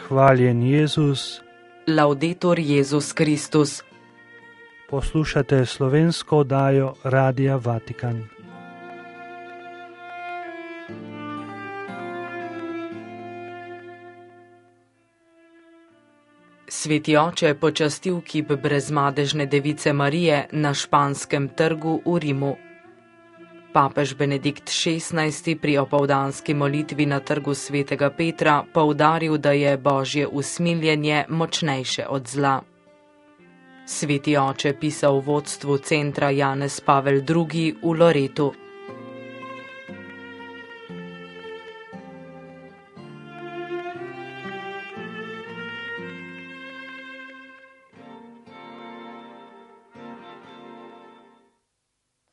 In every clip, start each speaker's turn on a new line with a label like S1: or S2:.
S1: Hvaljen Jezus.
S2: Laudetur Jezus Kristus.
S1: Poslušate slovensko oddajo Radia Vatikan.
S2: Sveti oče počastil kip brezmadežne device Marije na Španskem trgu v Rimu. Papež Benedikt XVI pri opoldanski molitvi na trgu svetega Petra poudaril, da je Božje usmiljenje močnejše od zla. Sveti oče pisal v vodstvu centra Janez Pavel II v Loretu.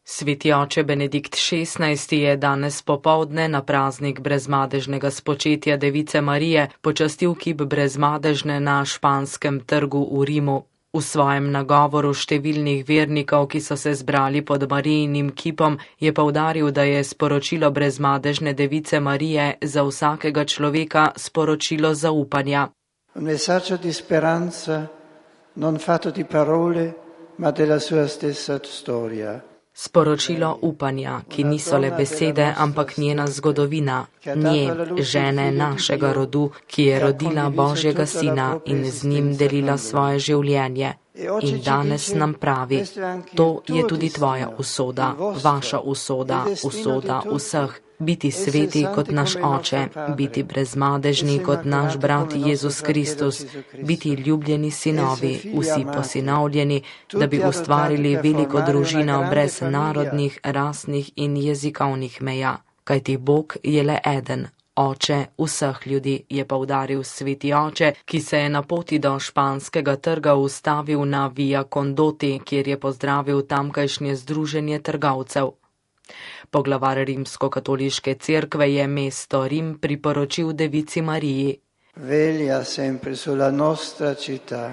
S2: Sveti oče Benedikt XVI je danes popoldne na praznik brezmadežnega spočetja device Marije počastil kip brezmadežne na Španskem trgu v Rimu. V svojem nagovoru številnih vernikov, ki so se zbrali pod Marijinim kipom, je poudaril, da je sporočilo brezmadežne device Marije za vsakega človeka sporočilo zaupanja.
S3: Un messaggio di speranza non fatto di parole, ma della sua stessa storia.
S2: Sporočilo upanja, ki niso le besede, ampak njena zgodovina, nje, žene našega rodu, ki je rodila Božjega sina in z njim delila svoje življenje. In danes nam pravi, to je tudi tvoja usoda, vaša usoda, usoda vseh. Biti sveti kot naš oče, biti brezmadežni kot naš brat Jezus Kristus, biti ljubljeni sinovi, vsi posinovljeni, da bi ustvarili veliko družino brez narodnih, rasnih in jezikovnih meja. Kajti Bog je le eden, oče vseh ljudi, je poudaril sveti oče, ki se je na poti do Španskega trga ustavil na Via Condoti, kjer je pozdravil tamkajšnje združenje trgovcev. Poglavar rimsko-katoliške cerkve je mesto Rim priporočil devici Mariji.
S3: Veglia sempre sulla nostra città.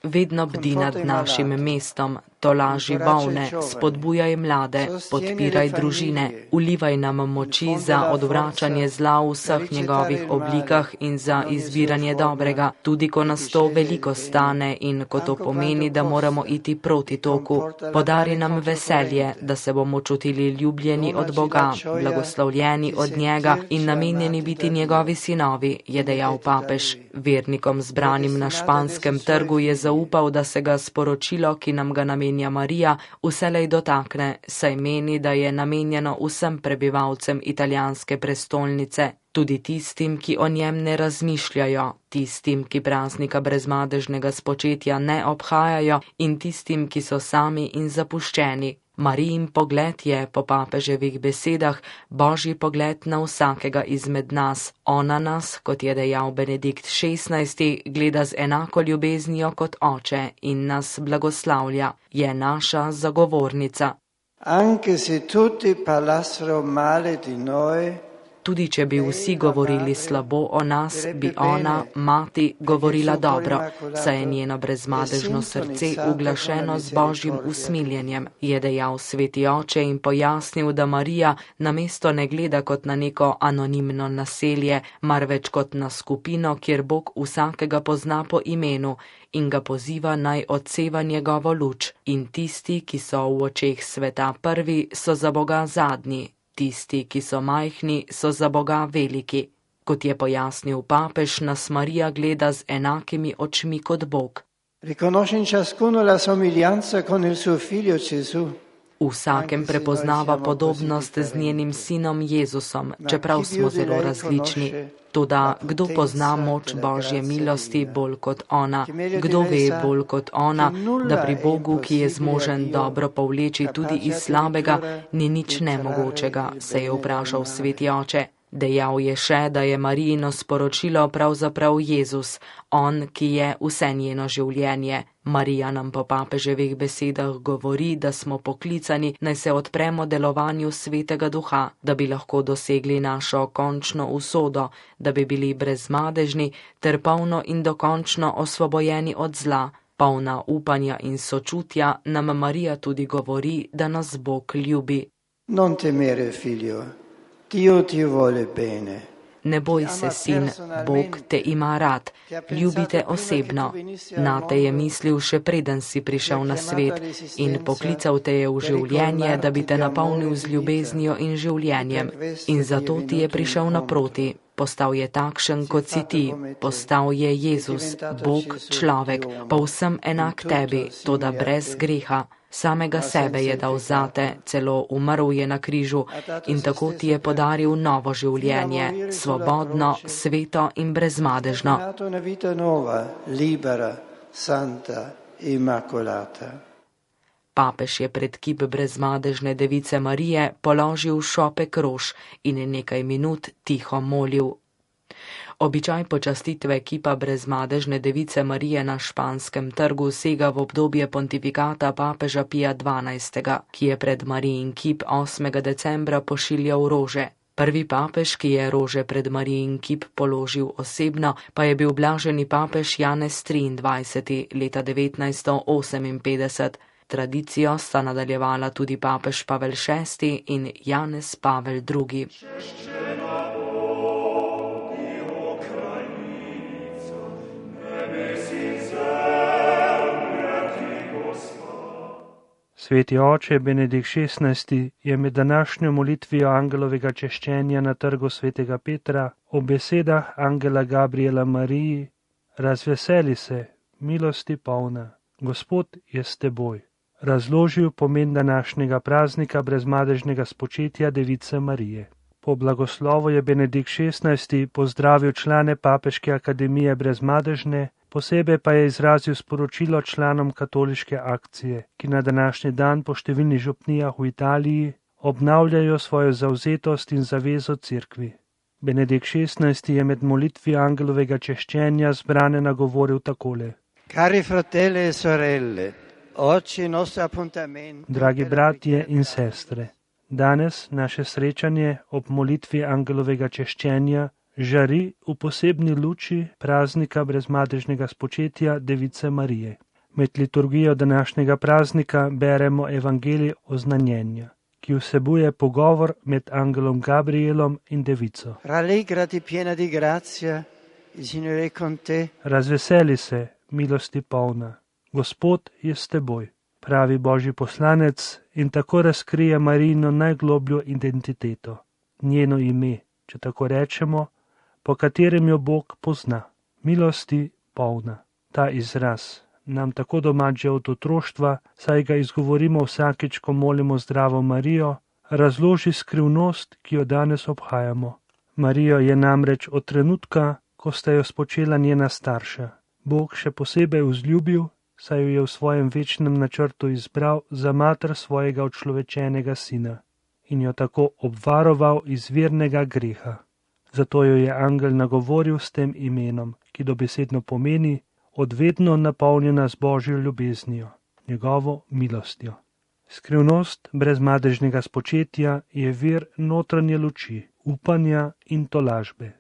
S2: Vedno bdi nad našim mestom, tolaži bolne, spodbujaj mlade, podpiraj družine, vlivaj nam moči za odvračanje zla v vseh njegovih oblikah in za izbiranje dobrega, tudi ko nas to veliko stane in ko to pomeni, da moramo iti proti toku. Podari nam veselje, da se bomo čutili ljubljeni od Boga, blagoslovljeni od njega in namenjeni biti njegovi sinovi, je dejal papež. Vernikom zbranim na Španskem trgu je zaupal, da se ga sporočilo, ki nam ga namenja Marija, vselej dotakne, saj meni, da je namenjeno vsem prebivalcem italijanske prestolnice, tudi tistim, ki o njem ne razmišljajo, tistim, ki praznika brezmadežnega spočetja ne obhajajo in tistim, ki so sami in zapuščeni. Marijin pogled je, po papeževih besedah, Božji pogled na vsakega izmed nas. Ona nas, kot je dejal Benedikt XVI, gleda z enako ljubeznijo kot oče in nas blagoslavlja. Je naša zagovornica.
S3: Anche se tutti parlassero male di noi,
S2: tudi če bi vsi govorili slabo o nas, bi ona, mati, govorila dobro, saj je njeno brezmadežno srce uglašeno z Božjim usmiljenjem, je dejal sveti oče in pojasnil, da Marija namesto ne gleda kot na neko anonimno naselje, marveč kot na skupino, kjer Bog vsakega pozna po imenu in ga poziva naj odseva njegovo luč. In tisti, ki so v očeh sveta prvi, so za Boga zadnji. Tisti, ki so majhni, so za Boga veliki. Kot je pojasnil papež, nas Marija gleda z enakimi očmi kot Bog.
S3: Riconosce in ciascuno la somiglianza con il suo figlio Gesù.
S2: V vsakem prepoznava podobnost z njenim sinom Jezusom, čeprav smo zelo različni. Toda kdo pozna moč Božje milosti bolj kot ona? Kdo ve bolj kot ona, da pri Bogu, ki je zmožen dobro povleči tudi iz slabega, ni nič nemogočega, se je vprašal sveti oče. Dejal je še, da je Marijino sporočilo pravzaprav Jezus, on, ki je vse njeno življenje. Marija nam po papeževih besedah govori, da smo poklicani, naj se odpremo delovanju Svetega Duha, da bi lahko dosegli našo končno usodo, da bi bili brezmadežni ter polno in dokončno osvobojeni od zla. Polna upanja in sočutja nam Marija tudi govori, da nas Bog ljubi.
S3: Non temere, figlio. Dio ti vuole bene.
S2: Ne boj se, sin, Bog te ima rad, ljubi te osebno. Nate je mislil še preden si prišel na svet in poklical te je v življenje, da bi te napolnil z ljubeznijo in življenjem. In zato ti je prišel naproti. Postal je takšen, kot si ti, postal je Jezus, Bog, človek, povsem enak tebi, toda brez greha. Samega sebe je dal zate, celo umrl je na križu in tako ti je podaril novo življenje, svobodno, sveto in brezmadežno. Papež je pred kip brezmadežne device Marije položil šopek rož in nekaj minut tiho molil. Običaj počastitve kipa brezmadežne device Marije na Španskem trgu sega v obdobje pontifikata papeža Pija XII., ki je pred Marijin kip 8. decembra pošiljal rože. Prvi papež, ki je rože pred Marijin kip položil osebno, pa je bil blaženi papež Janez XXIII. Leta 1958. Tradicijo sta nadaljevala tudi papež Pavel VI. In Janez Pavel II.
S1: Sveti oče Benedikt XVI. Je med današnjo molitvijo angelovega češčenja na trgu svetega Petra ob besedah angela Gabriela Mariji: razveseli se, milosti polna, Gospod je s teboj, razložil pomen današnjega praznika brezmadežnega spočetja Device Marije. Po blagoslovu je Benedikt XVI. Pozdravil člane Papeške akademije brezmadežne, posebej pa je izrazil sporočilo članom katoliške akcije, ki na današnji dan po številnih župnijah v Italiji obnavljajo svojo zavzetost in zavezo cerkvi. Benedikt XVI. Je med molitvijo angelovega češčenja zbrane nagovoril takole:
S3: Cari fratelli e sorelle, oggi il nostro appuntamento.
S1: Dragi bratje in sestre, danes naše srečanje ob molitvi angelovega češčenja žari v posebni luči praznika brezmadežnega spočetja Device Marije. Med liturgijo današnjega praznika beremo evangelij oznanjenja, ki vsebuje pogovor med angelom Gabrielom in devico.
S3: Rallegrati piena di grazia, il Signore è con te.
S1: Razveseli se, milosti polna, Gospod je s teboj, pravi Božji poslanec in tako razkrije Marijino najglobljo identiteto, njeno ime, če tako rečemo, po katerem jo Bog pozna. Milosti polna. Ta izraz nam tako domač že od otroštva, saj ga izgovorimo vsakič, ko molimo Zdravo Marijo, razloži skrivnost, ki jo danes obhajamo. Marijo je namreč od trenutka, ko sta jo spočela njena starša, Bog še posebej vzljubil, saj jo je v svojem večnem načrtu izbral za mater svojega očlovečenega sina in jo tako obvaroval izvirnega greha. Zato jo je angel nagovoril s tem imenom, ki dobesedno pomeni odvedno napolnjena z Božjo ljubeznijo, njegovo milostjo. Skrivnost brezmadežnega spočetja je vir notranje luči, upanja in tolažbe.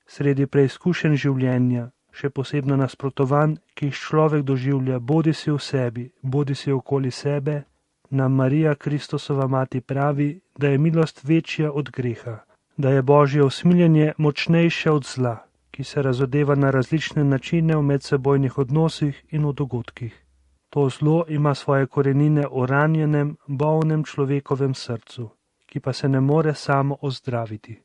S1: Sredi preizkušenj življenja, še posebno nasprotovanj, ki jih človek doživlja bodisi v sebi, bodisi okoli sebe, nam Marija Kristusova mati pravi, da je milost večja od greha, da je Božje usmiljenje močnejše od zla, ki se razodeva na različne načine v medsebojnih odnosih in v dogodkih. To zlo ima svoje korenine v ranjenem, bolnem človekovem srcu, ki pa se ne more samo ozdraviti.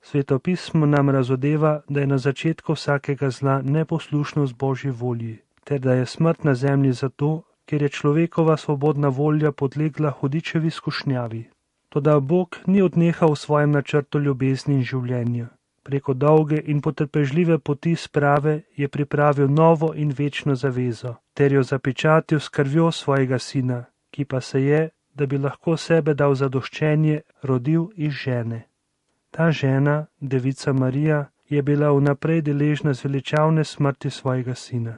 S1: Sveto pismo nam razodeva, da je na začetku vsakega zla neposlušnost Božji volji, ter da je smrt na zemlji zato, ker je človekova svobodna volja podlegla hudičevi skušnjavi. Toda Bog ni odnehal v svojem načrtu ljubezni in življenja. Preko dolge in potrpežljive poti sprave je pripravil novo in večno zavezo, ter jo zapečatil s krvjo svojega sina, ki pa se je, da bi lahko sebe dal zadoščenje, rodil iz žene. Ta žena, Devica Marija, je bila vnaprej deležna zveličavne smrti svojega sina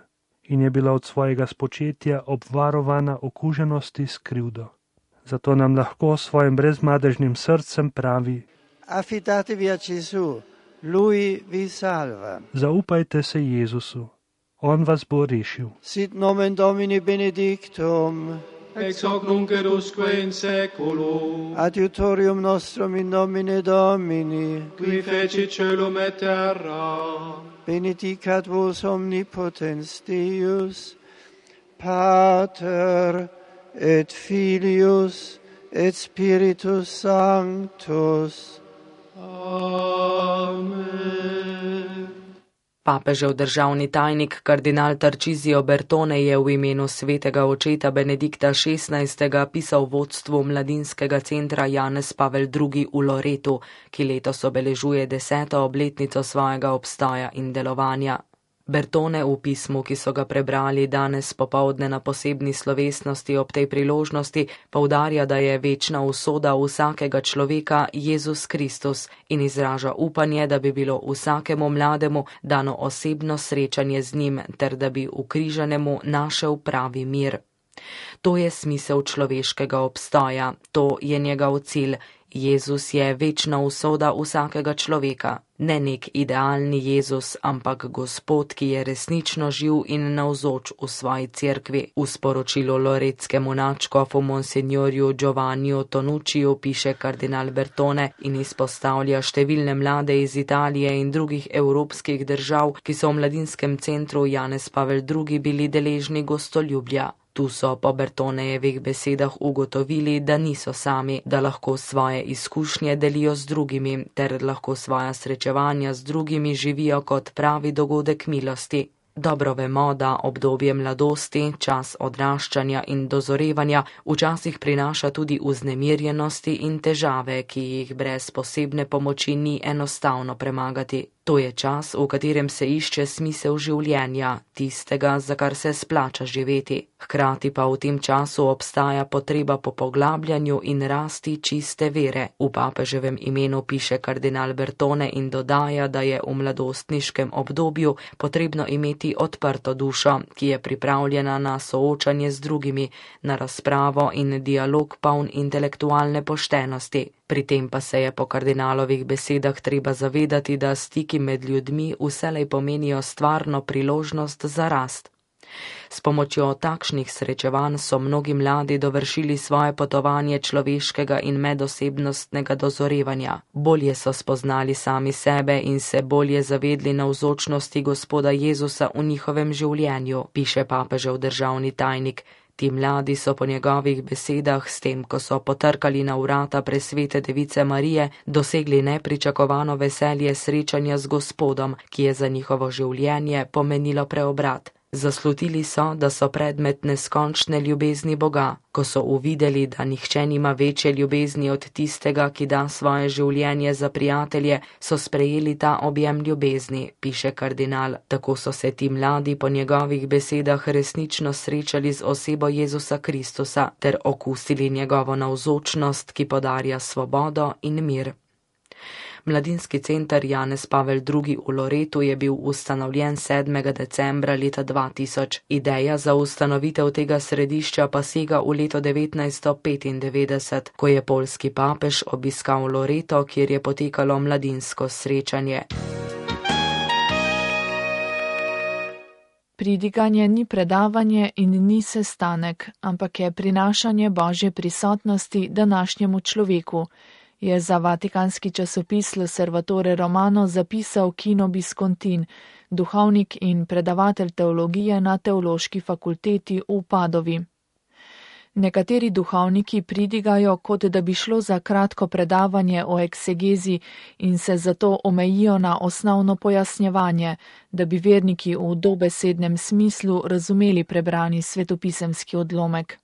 S1: in je bila od svojega spočetja obvarovana okuženosti s krivdo. Zato nam lahko s svojim brezmadežnim srcem pravi:
S3: Affidatevi a Gesù, Lui vi salva.
S1: Zaupajte se Jezusu, On vas bo rešil.
S3: Sit nomen Domini benedictum,
S4: ex hoc nunc et usque in saeculum.
S3: Adiutorium nostrum in nomine Domini,
S4: Qui fecit caelum et terra.
S3: benedicat vos omnipotens Deus, Pater et Filius et Spiritus Sanctus.
S4: Amen.
S2: Papežev državni tajnik kardinal Tarcisio Bertone je v imenu svetega očeta Benedikta XVI. Pisal vodstvu mladinskega centra Janez Pavel II. V Loretu, ki letos obeležuje 10. obletnico svojega obstoja in delovanja. Bertone v pismu, ki so ga prebrali danes popoldne na posebni slovesnosti ob tej priložnosti, poudarja, da je večna usoda vsakega človeka Jezus Kristus in izraža upanje, da bi bilo vsakemu mlademu dano osebno srečanje z njim ter da bi ukrižanemu našel pravi mir. To je smisel človeškega obstoja, to je njegov cilj. Jezus je večna usoda vsakega človeka, ne nek idealni Jezus, ampak Gospod, ki je resnično živ in navzoč v svoji cerkvi. V sporočilu loretskemu nadškofu monsignorju Giovanniju Tonucciju piše kardinal Bertone in izpostavlja številne mlade iz Italije in drugih evropskih držav, ki so v mladinskem centru Janez Pavel II. Bili deležni gostoljubja. Tu so po Bertonejevih besedah ugotovili, da niso sami, da lahko svoje izkušnje delijo z drugimi, ter lahko svoja srečevanja z drugimi živijo kot pravi dogodek milosti. Dobro vemo, da obdobje mladosti, čas odraščanja in dozorevanja včasih prinaša tudi vznemirjenosti in težave, ki jih brez posebne pomoči ni enostavno premagati. To je čas, v katerem se išče smisel življenja, tistega, za kar se splača živeti. Hkrati pa v tem času obstaja potreba po poglabljanju in rasti čiste vere. V papeževem imenu piše kardinal Bertone in dodaja, da je v mladostniškem obdobju potrebno imeti odprto dušo, ki je pripravljena na soočanje z drugimi, na razpravo in dialog poln intelektualne poštenosti. Pri tem pa se je po kardinalovih besedah treba zavedati, da stiki med ljudmi vselej pomenijo stvarno priložnost za rast. S pomočjo takšnih srečevanj so mnogi mladi dovršili svoje potovanje človeškega in medosebnostnega dozorevanja. Bolje so spoznali sami sebe in se bolje zavedli navzočnosti Gospoda Jezusa v njihovem življenju, piše papežev državni tajnik. Ti mladi so po njegovih besedah s tem, ko so potrkali na vrata presvete device Marije, dosegli nepričakovano veselje srečanja z Gospodom, ki je za njihovo življenje pomenilo preobrat. Zaslutili so, da so predmet neskončne ljubezni Boga. Ko so uvideli, da nihče nima večje ljubezni od tistega, ki da svoje življenje za prijatelje, so sprejeli ta objem ljubezni, piše kardinal. Tako so se ti mladi po njegovih besedah resnično srečali z osebo Jezusa Kristusa ter okusili njegovo navzočnost, ki podarja svobodo in mir. Mladinski center Janez Pavel II. V Loretu je bil ustanovljen 7. decembra leta 2000. Ideja za ustanovitev tega središča pa sega v leto 1995, ko je poljski papež obiskal Loreto, kjer je potekalo mladinsko srečanje.
S5: Pridiganje ni predavanje in ni sestanek, ampak je prinašanje Božje prisotnosti današnjemu človeku, je za vatikanski časopis L'Osservatore Romano zapisal Kino Biskontin, duhovnik in predavatelj teologije na Teološki fakulteti v Padovi. Nekateri duhovniki pridigajo, kot da bi šlo za kratko predavanje o eksegezi in se zato omejijo na osnovno pojasnjevanje, da bi verniki v dobesednem smislu razumeli prebrani svetopisemski odlomek.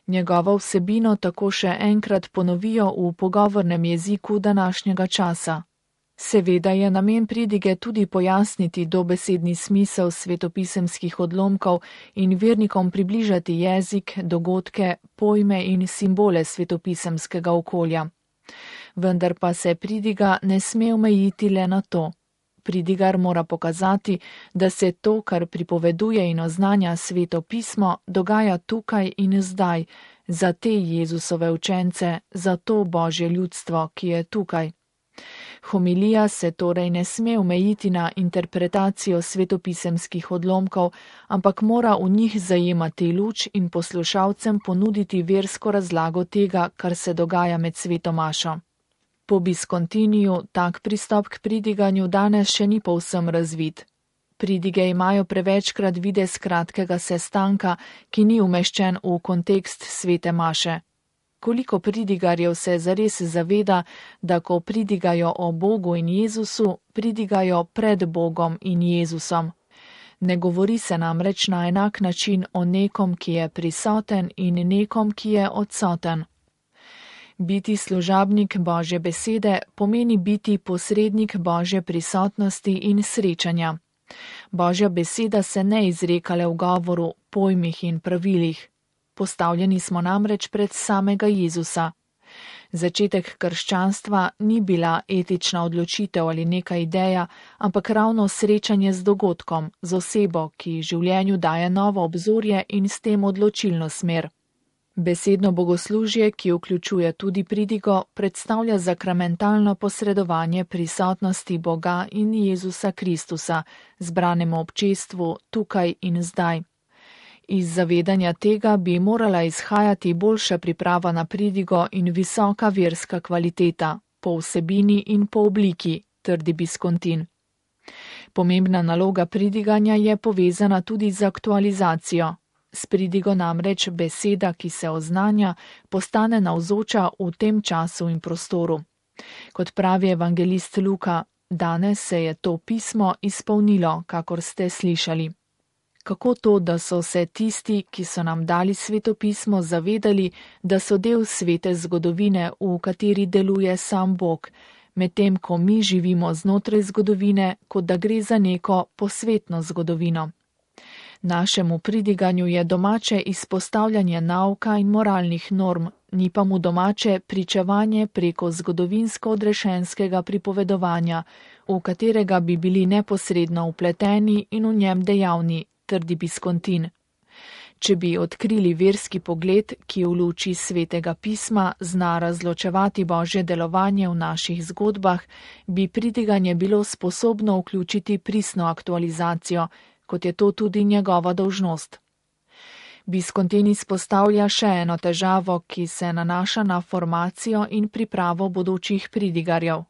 S5: Njegovo vsebino tako še enkrat ponovijo v pogovornem jeziku današnjega časa. Seveda je namen pridige tudi pojasniti dobesedni smisel svetopisemskih odlomkov in vernikom približati jezik, dogodke, pojme in simbole svetopisemskega okolja. Vendar pa se pridiga ne sme omejiti le na to. Pridigar mora pokazati, da se to, kar pripoveduje in oznanja sveto pismo, dogaja tukaj in zdaj, za te Jezusove učence, za to Božje ljudstvo, ki je tukaj. Homilija se torej ne sme omejiti na interpretacijo svetopisemskih odlomkov, ampak mora v njih zajemati luč in poslušalcem ponuditi versko razlago tega, kar se dogaja med sveto mašo. Po Biscontiniju tak pristop k pridiganju danes še ni povsem razvit. Pridige imajo prevečkrat videz kratkega sestanka, ki ni umeščen v kontekst svete maše. Koliko pridigarjev se zares zaveda, da ko pridigajo o Bogu in Jezusu, pridigajo pred Bogom in Jezusom. Ne govori se namreč na enak način o nekom, ki je prisoten in nekom, ki je odsoten. Biti služabnik Božje besede pomeni biti posrednik Božje prisotnosti in srečanja. Božja beseda se ne izreka le v govoru, pojmih in pravilih. Postavljeni smo namreč pred samega Jezusa. Začetek krščanstva ni bila etična odločitev ali neka ideja, ampak ravno srečanje z dogodkom, z osebo, ki življenju daje novo obzorje in s tem odločilno smer. Besedno bogoslužje, ki vključuje tudi pridigo, predstavlja sakramentalno posredovanje prisotnosti Boga in Jezusa Kristusa, zbranemu občestvu tukaj in zdaj. Iz zavedanja tega bi morala izhajati boljša priprava na pridigo in visoka verska kvaliteta, po vsebini in po obliki, trdi Biscontin. Pomembna naloga pridiganja je povezana tudi z aktualizacijo. S pridigo namreč beseda, ki se oznanja, postane navzoča v tem času in prostoru. Kot pravi evangelist Luka, danes se je to pismo izpolnilo, kakor ste slišali. Kako to, da so se tisti, ki so nam dali svetopismo, zavedali, da so del svete zgodovine, v kateri deluje sam Bog, medtem ko mi živimo znotraj zgodovine, kot da gre za neko posvetno zgodovino. Našemu pridiganju je domače izpostavljanje nauka in moralnih norm, ni pa mu domače pričevanje preko zgodovinsko odrešenskega pripovedovanja, v katerega bi bili neposredno vpleteni in v njem dejavni, trdi Biscontin. Če bi odkrili verski pogled, ki v luči svetega pisma zna razločevati Božje delovanje v naših zgodbah, bi pridiganje bilo sposobno vključiti pristno aktualizacijo, kot je to tudi njegova dolžnost. Biscontin izpostavlja še eno težavo, ki se nanaša na formacijo in pripravo bodočih pridigarjev.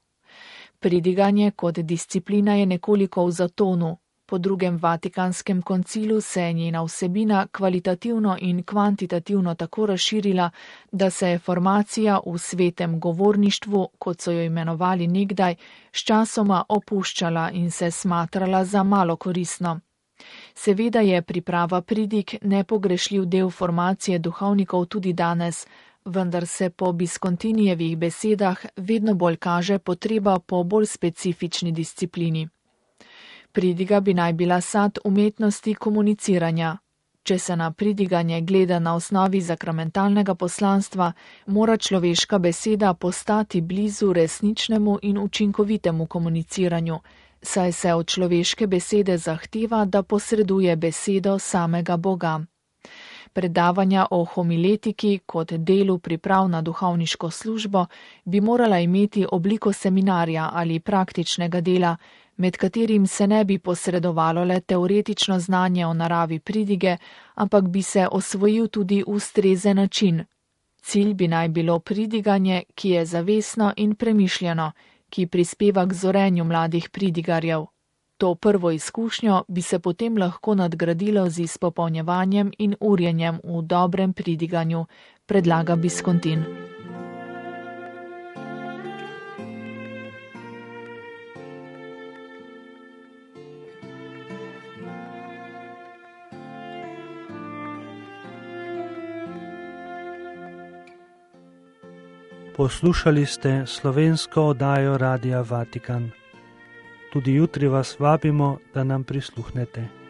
S5: Pridiganje kot disciplina je nekoliko v zatonu. Po drugem Vatikanskem koncilu se je njena vsebina kvalitativno in kvantitativno tako razširila, da se je formacija v svetem govorništvu, kot so jo imenovali nekdaj, sčasoma opuščala in se smatrala za malo koristno. Seveda je priprava pridig nepogrešljiv del formacije duhovnikov tudi danes, vendar se po Biscontinijevih besedah vedno bolj kaže potreba po bolj specifični disciplini. Pridiga bi naj bila sad umetnosti komuniciranja. Če se na pridiganje gleda na osnovi sakramentalnega poslanstva, mora človeška beseda postati blizu resničnemu in učinkovitemu komuniciranju, saj se od človeške besede zahteva, da posreduje besedo samega Boga. Predavanja o homiletiki kot delu priprav na duhovniško službo bi morala imeti obliko seminarja ali praktičnega dela, med katerim se ne bi posredovalo le teoretično znanje o naravi pridige, ampak bi se osvojil tudi ustrezen način. Cilj bi naj bilo pridiganje, ki je zavestno in premišljeno, ki prispeva k zorenju mladih pridigarjev. To prvo izkušnjo bi se potem lahko nadgradilo z izpopolnjevanjem in urjenjem v dobrem pridiganju, predlaga Biscontin.
S1: Poslušali ste slovensko oddajo Radia Vatikan. Tudi jutri vas vabimo, da nam prisluhnete.